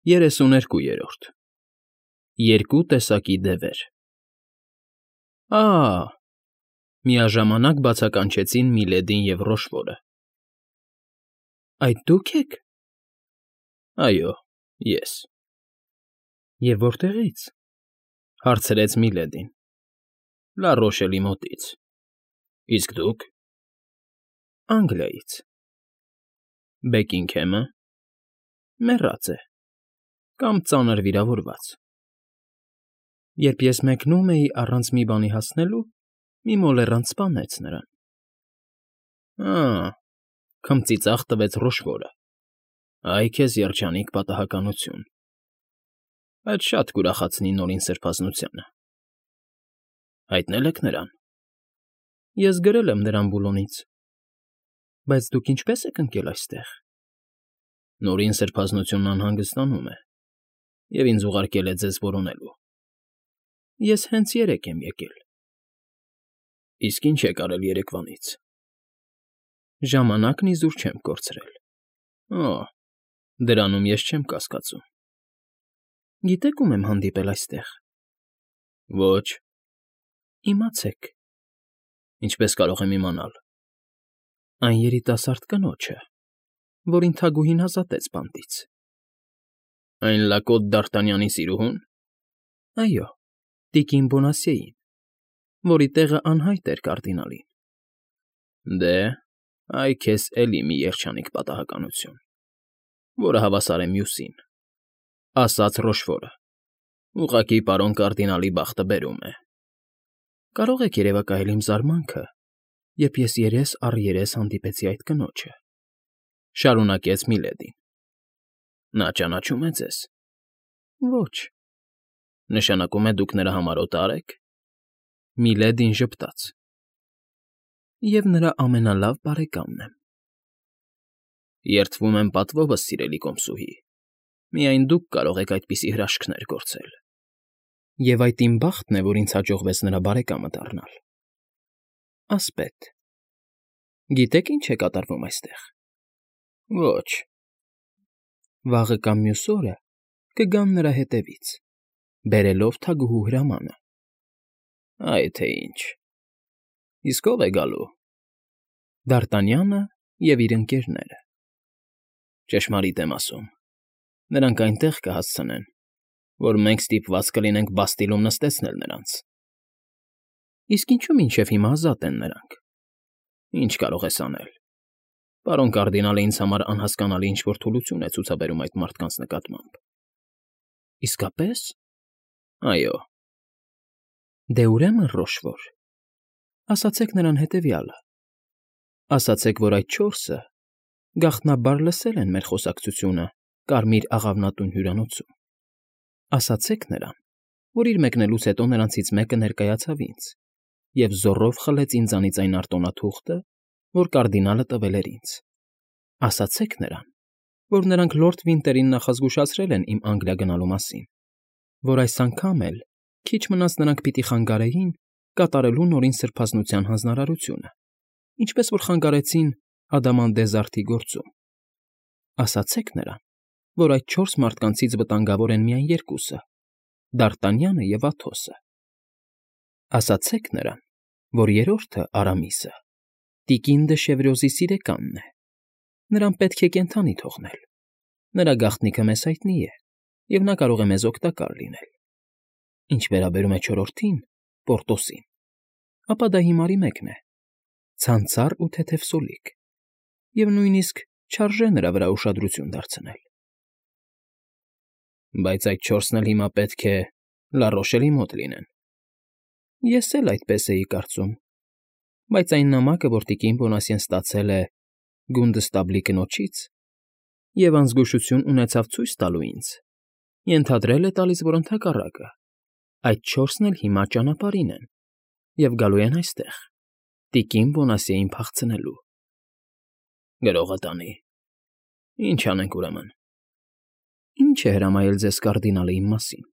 32-րդ Երկու տեսակի դևեր Միաժամանակ բացականչեցին Միլեդին և Ռոշվորը։ Այդ դու՞ք եք։ Այո, ես։ Եվ որտեղի՞ց, հարցրեց Միլեդին։ Լա Ռոշելի մոտից։ Իսկ դուք։ Անգլիայից։ Բեկինգհեմը։ Մեռած է, կամ ծանր վիրավորված։ Երբ ես մեկնում էի առանց մի բանի հասնելու, մի մոլեռանդ սպանեց նրան։ Քմծի ծաղ տվեց Ռոշվորը։ Այ քեզ երջանիկ պատահականություն։ Այդ շատ կուրախացնի Նորին Սրբազնությանը։ Հայտնել եք նրան։ Ես գրել եմ նրան Բուլոնից։ Բայց դուք ինչպե՞ս եք ընկել այստեղ։ Նորին Սրբազնությունն անհանգստանում է և ինձ ուղարկել է ձեզ որոնելու։ Ես հենց երեկ եմ եկել։ Իսկ ինչ եք արել երեկվանից։ Ժամանակն իզուր չեմ կորցրել։ Դրանում ես չեմ կասկածում։ Գիտեք ում եմ հանդիպել այստեղ։ Ոչ։ Իմացեք։ Ինչպես կարող եմ իմանալ։ Այն երիտասարդ կնոջը, որին թագուհին ազատեց բանտից։ Այն լակոտ Դ'Արտանյանի սիրուհո՞ւն։ Այո, տիկին Բոնասիեին, որի տեղը անհայտ էր կարդինալին։ Դե, այ քեզ էլի մի երջանիկ պատահականություն, որը հավասար է մյուսին, ասաց Ռոշվորը։ Ուղղակի պարոն կարդինալի բախտը բերում է։ Կարող եք երևակայել իմ զարմանքը, երբ ես երես առ երես հանդիպեցի այդ կնոջը, շարունակեց Միլեդին։ Նա ճանաչում է ձեզ։ Ոչ։ Նշանակում է դուք նրա համար օտար եք։ Միլեդին ժպտաց։ Եվ նրա ամենալավ բարեկամն եմ։ Երդվում եմ պատվովս, սիրելի կոմսուհի։ Միայն դուք կարող եք այդպիսի հրաշքներ գործել։ Եվ այդ իմ բախտն է, որ ինձ հաջողվեց նրա բարեկամը դառնալ։ Ասպետ։ Գիտեք ինչ է կատարվում այստեղ։ Ոչ։ Վաղը կամ մյուս օրը կգան նրա հետևից, բերելով թագուհու հրամանը։ Այ թե ինչ։ Իսկ ո՞վ է գալու։ Դ'Արտանյանը և իր ընկերները։ Ճշմարիտ եմ ասում։ Նրանք այնտեղ կհասցնեն, որ մենք ստիպված կլինենք Բաստիլում նստեցնել նրանց։ Իսկ ինչու մինչև հիմա ազատ են նրանք։ Ինչ կարող ես անել։ Պարոն կարդինալը ինձ համար անհասկանալի ինչ֊որ թուլություն է ցուցաբերում այդ մարդկանց նկատմամբ։ Իսկապես։ Այո։ Դե ուրեմն, Ռոշվոր, ասացեք նրան հետևյալը։ Ասացեք, որ այդ չորսը գաղտնաբար լսել են մեր խոսակցությունը Կարմիր աղավնատուն հյուրանոցում։ Ասացեք նրան, որ իր մեկնելուց հետո նրանցից մեկը ներկայացավ ինձ և զոռով խլեց ինձանից այն արտոնաթուղթը, որ կարդինալը տվել էր ինձ։ Ասացեք նրան, որ նրանք լորդ Վինտերին նախազգուշացրել են իմ Անգլիա գնալու մասին, որ այս անգամ էլ քիչ մնաց նրանք պիտի խանգարեին կատարելու Նորին Սրբազնության հանձնարարությունը, ինչպես որ խանգարեցին Ադամանդեզարդի գործում։ Ասացեք նրան, որ այդ չորս մարդկանցից վտանգավոր են միայն երկուսը՝ Դ'Արտանյանը և Աթոսը։ Ասացեք նրան, որ երրորդը՝ Արամիսը, տիկին դը Շևրոզի սիրեկանն է։ Նրան պետք է կենդանի թողնել։ Նրա գաղտնիքը մեզ հայտնի է, և նա կարող է մեզ օգտակար լինել։ Ինչ վերաբերում է չորրորդին՝ Պորտոսին, ապա դա հիմարի մեկն է, ցանցառ ու թեթև սոլիկ, և նույնիսկ չարժե նրա վրա ուշադրություն դարձնել։ Բայց այդ չորսն էլ հիմա պետք է Լա Ռոշելի մոտ լինեն։ Ես էլ այդպես էի կարծում, բայց այն նամակը, որ տիկին Բոնասիեն ստացել է Գունդստաբլի կնոջից և անզգուշություն ունեցավ ցույց տալու ինձ, ենթադրել է տալիս, որ ընդհակառակը, այդ չորսն էլ հիմա ճանապարհին են և գալու են այստեղ, տիկին Բոնասիեին փախցնելու։ Գրողը տանի։ Ինչ անենք ուրեմն։ Ինչ է հրամայել ձեզ կարդինալը իմ մասին։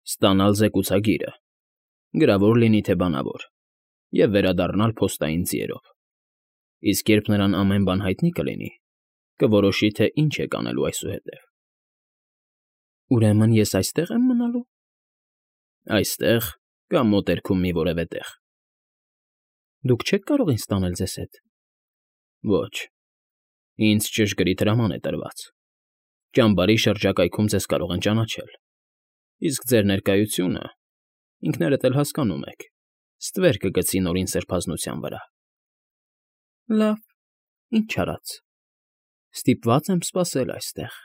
Ստանալ զեկուցագիրը, գրավոր լինի թե բանավոր, և վերադառնալ փոստային ձիերով։ Իսկ երբ նրան ամեն բան հայտնի կլինի, կորոշի, թե ինչ եք անելու այսուհետև։ Ուրեմն ես այստեղ եմ մնալու։ Այստեղ կամ մոտերքում մի որևէ տեղ։ Դուք չեք կարող ինձ տանել ձեզ հետ։ Ոչ։ Ինձ ճշգրիտ հրաման է տրված։ Ճամբարի շրջակայքում ձեզ կարող են ճանաչել։ Իսկ ձեր ներկայությունը, ինքներդ էլ հասկանում եք, ստվեր կգցի նորին սրբազնության վրա։ Լավ, ինչ արած։ Ստիպված եմ սպասել այստեղ,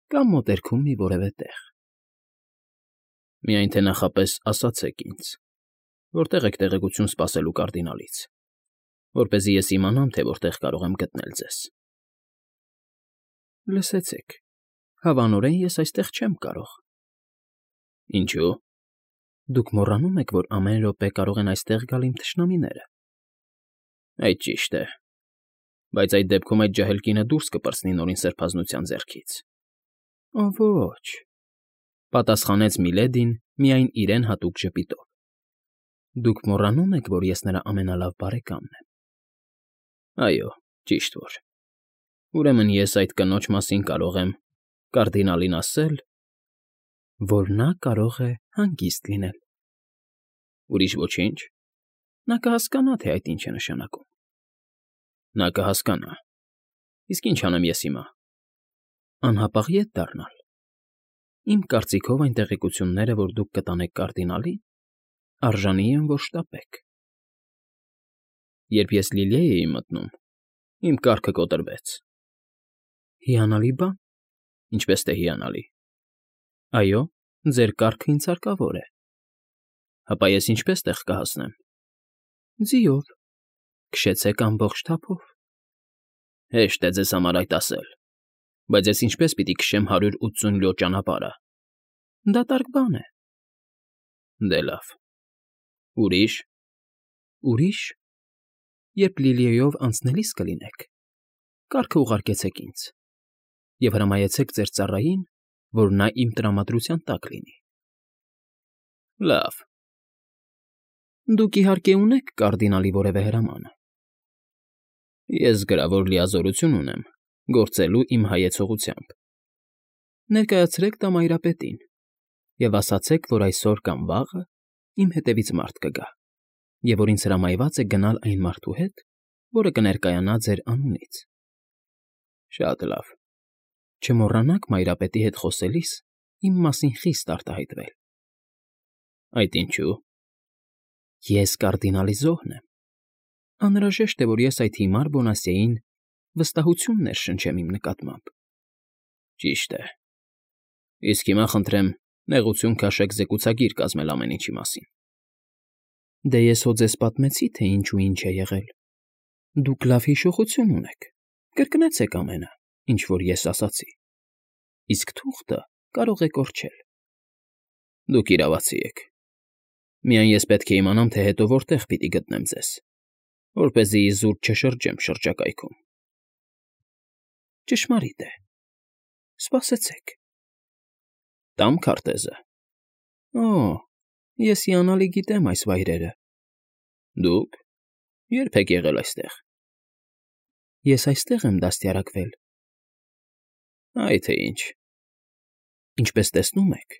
կամ մոտերքում մի որևէ տեղ։ Միայն թե նախապես ասացեք ինձ, որտեղ եք տեղեկություն սպասելու կարդինալից, որպեսզի ես իմանամ, թե որտեղ կարող եմ գտնել ձեզ։ Լսեցեք, հավանորեն ես այստեղ չեմ կարող։ Ինչու՞։ Դուք մոռանում եք, որ ամեն րոպե կարող են այստեղ գալ իմ թշնամիները։ Այդ ճիշտ է, բայց այդ դեպքում այդ ջահել կինը դուրս կպրծնի նորին սրբազնության ձեռքից։ Ոչ, պատասխանեց Միլեդին միայն իրեն հատուկ ժպիտով։ Դուք մոռանում եք, որ ես նրա ամենալավ բարեկամն եմ։ Այո, ճիշտ որ։ Ուրեմն ես այդ կնոջ մասին կարող եմ կարդինալին ասել, որ նա կարող է հանգիստ լինել։ Ուրիշ ոչինչ։ Նա կհասկանա, թե այդ ինչ է նշանակում։ Նա կհասկանա։ Իսկ ինչ անեմ ես հիմա։ Անհապաղ ետ դառնալ։ Իմ կարծիքով այն տեղեկությունները, որ դուք կտանեք կարդինալին, արժանի են, որ շտապեք։ Երբ ես Լիլիայի էի մտնում, իմ կառքը կոտրվեց։ Հիանալի բան։ Ինչպես թե հիանալի։ Այո, ձեր կառքը ինձ հարկավոր է։ Հապա ես ինչպես տեղ կհասնեմ։ Ձիով։ Քշեցեք ամբողջ թափով։ Հեշտ է ձեզ համար այդ ասել, բայց ես ինչպես պիտի քշեմ 180 լյո ճանապարհը։ Դատարկ բան է։ Դե լավ։ Ուրիշ։ Ուրիշ։ Երբ Լիլիայով անցնելիս կլինեք, կառքը ուղարկեցեք ինձ և հրամայեցեք ձեր ծառային, որ նա իմ տրամադրության տակ լինի։ Լավ։ Դուք իհարկե ունեք կարդինալի որևէ հրամանը։ Ես գրավոր լիազորություն ունեմ գործելու իմ հայեցողությամբ։ Ներկայացրեք դա մայրապետին և ասացեք, որ այսօր կամ վաղը իմ հետևից մարդ կգա, և որ ինձ հրամայված է գնալ այն մարդու հետ, որը կներկայանա ձեր անունից։ Շատ լավ։ Չմոռանաք մայրապետի հետ խոսելիս իմ մասին խիստ արտահայտվել։ Այդ ինչու՞։ Ես կարդինալի զոհն եմ։ Անհրաժեշտ է, որ ես այդ հիմար Բոնասիեին վստահություն ներշնչեմ իմ նկատմամբ։ Ճիշտ է։ Իսկ հիմա խնդրեմ նեղություն քաշեք զեկուցագիր կազմել ամեն ինչի մասին։ Դե ես հո ձեզ պատմեցի, թե ինչ ու ինչ է եղել։ Դուք լավ հիշողություն ունեք։ Կրկնեցեք ամենը, ինչ որ ես ասացի։ Իսկ թուղթը կարող է կորչել։ Դուք իրավացի եք։ Միայն ես պետք է իմանամ, թե հետո որտեղ պիտի գտնեմ ձեզ, որպեսզի իզուր չշրջեմ շրջակայքում։ Ճշմարիտ է։ Սպասեցեք։ Տամ քարտեզը։ Օ, ես հիանալի գիտեմ այս վայրերը։ Դուք երբ եք եղել այստեղ։ Ես այստեղ եմ դաստիարակվել։ Այ թե ինչ։ Ինչպես տեսնում եք,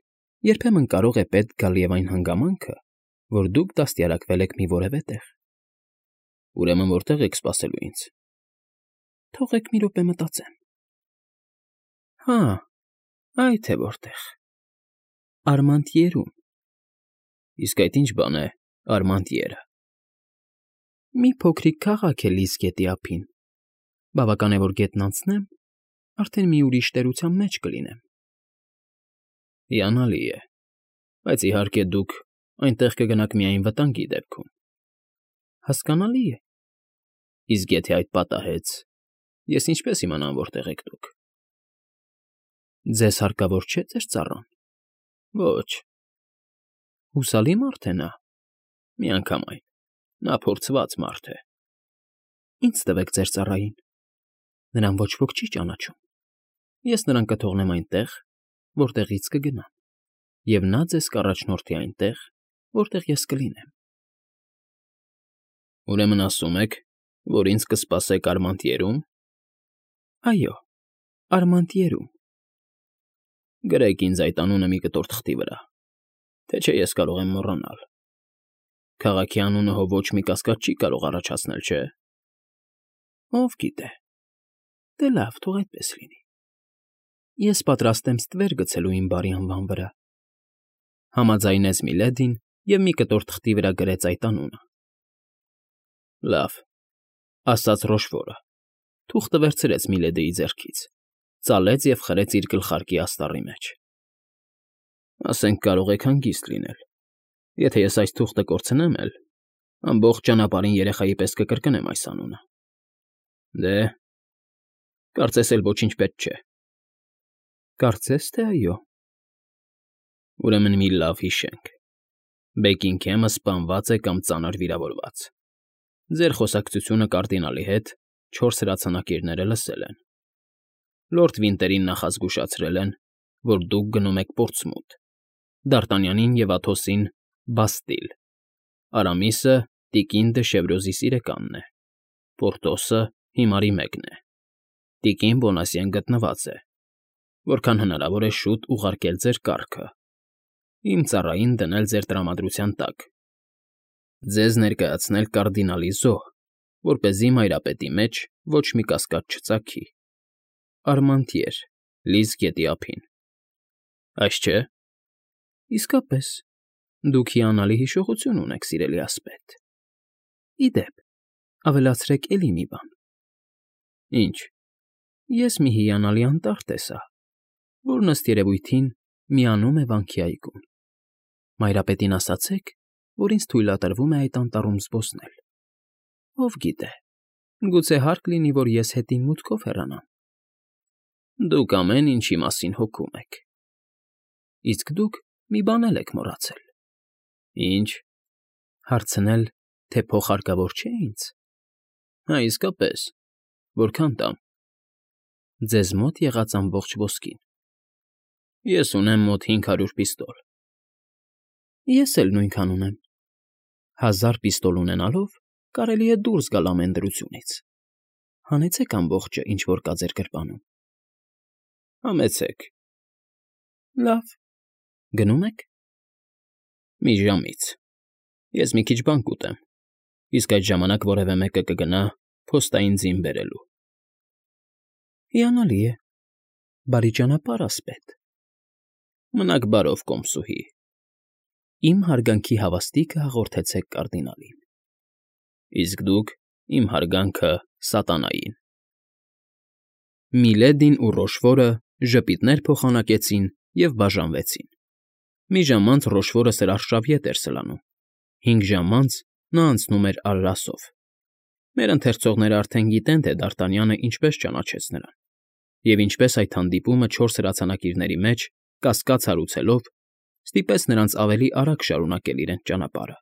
երբեմն կարող է պետք գալ և այն հանգամանքը, որ դուք դաստիարակվել եք մի որևէ տեղ։ Ուրեմն որտեղ եք սպասելու ինձ։ Թողեք մի րոպե մտածեմ։ Հա, այ թե որտեղ։ Արմանտիերում։ Իսկ այդ ինչ բան է Արմանտիերը։ Մի փոքրիկ քաղաք է լիզ գետի ափին։ Բավական է, որ գետն անցնեմ, արդեն մի ուրիշ տերության մեջ կլինեմ։ Հիանալի է, բայց իհարկե դուք այնտեղ կգնաք միայն վտանգի դեպքում։ Հասկանալի է։ Իսկ եթե այդ պատահեց, ես ինչպես իմանամ, որտեղ եք դուք։ Ձեզ հարկավոր չէ ձեր ծառան։ Ոչ։ Հուսալի մարդ է նա։ Միանգամայն, նա փորձված մարդ է։ Ինձ տվեք ձեր ծառային։ Նրան ոչ ոք չի ճանաչում։ Ես նրան կթողնեմ այնտեղ, որտեղից կգնամ, և նա ձեզ կառաջնորդի այնտեղ, որտեղ ես կլինեմ։ Ուրեմն ասում եք, որ ինձ կսպասեք Արմանտիերում։ Այո, Արմանտիերում։ Գրեք ինձ այդ անունը մի կտոր թղթի վրա, թե չէ ես կարող եմ մոռանալ։ Քաղաքի անունը հո ոչ մի կասկած չի կարող առաջացնել, չէ՞։ Ով գիտե։ Դե լավ, թող այդպես լինի։ Ես պատրաստ եմ ստվեր գցելու իմ բարի անվան վրա։ Համաձայնեց Միլեդին և մի կտոր թղթի վրա գրեց այդ անունը։ Լավ, ասաց Ռոշվորը, թուղթը վերցրեց Միլեդիի ձեռքից, ծալեց և խրեց իր գլխարկի աստառի մեջ։ Ասենք կարող եք հանգիստ լինել, եթե ես այս թուղթը կորցնեմ էլ, ամբողջ ճանապարհին երեխայի պես կկրկնեմ այս անունը։ Դե, կարծես էլ ոչինչ պետք չէ։ Կարծես թե այո։ Ուրեմն մի լավ հիշենք։ Բեքինգհեմը սպանված է կամ ծանր վիրավորված։ Ձեր խոսակցությունը կարդինալի հետ 4 հրացանակիրները լսել են։ Լորդ Վինտերին նախազգուշացրել են, որ դուք գնում եք Պորտսմութ, Դ'Արտանյանին և Աթոսին՝ Բաստիլ, Արամիսը տիկին դը Շևրոզի սիրեկանն է, Պորտոսը հիմարի մեկն է, տիկին Բոնասիեն գտնված է, որքան հնարավոր է շուտ ուղարկել ձեր կառքը, իմ ծառային դնել ձեր տրամադրության տակ, ձեզ ներկայացնել կարդինալի զոհ, որպեսզի մայրապետի մեջ ոչ մի կասկած չծագի։ Արմանտիեր, Լիզ գետի ափին։ Այս չէ։ Իսկապես, դուք հիանալի հիշողություն ունեք, սիրելի ասպետ։ Ի դեպ, ավելացրեք էլի մի բան։ Ինչ։ Ես մի հիանալի անտառ տեսա, որն ըստ երևույթին միանում է վանքի այգուն։ Մայրապետին ասացեք, որ ինձ թույլատրվում է այդ անտառում զբոսնել։ Ով գիտե, գուցե հարկ լինի, որ ես հետին մուտքով հեռանամ։ Դուք ամեն ինչի մասին հոգում եք։ Իսկ դուք մի բան էլ եք մոռացել։ Ինչ։ Հարցնել, թե փող հարկավոր չէ ինձ։ Հա, իսկապես, որքան տամ։ Ձեզ մոտ եղած ամբողջ ոսկին։ Ես ունեմ մոտ 500 պիստոլ։ Ես էլ նույնքան ունեմ։ 1000 պիստոլ ունենալով կարելի է դուրս գալ ամեն դրությունից։ Հանեցեք ամբողջը, ինչ որ կա ձեր գրպանում։ Համեցեք։ Լավ։ Գնում եք։ Մի ժամից։ Ես մի քիչ բան կուտեմ, իսկ այդ ժամանակ որևէ մեկը կգնա փոստային ձին բերելու։ Հիանալի է։ Բարի ճանապարհ, ասպետ։ Մնաք բարով, կոմսուհի։ Իմ հարգանքի հավաստիքը հաղորդեցեք կարդինալին։ Իսկ դուք իմ հարգանքը սատանային։ Միլեդին ու Ռոշվորը ժպիտներ փոխանակեցին և բաժանվեցին։ Մի ժամ անց Ռոշվորը սրարշավ ետ էր սլանում, 5 ժամ անց նա անցնում էր Արրասով։ Մեր ընթերցողները արդեն գիտեն, թե Դ'Արտանյանը ինչպես ճանաչեց նրան, և ինչպես այդ հանդիպումը 4 հրացանակիրների մեջ, կասկած հարուցելով, ստիպեց նրանց ավելի արագ շարունակել իրենց ճանապարհը։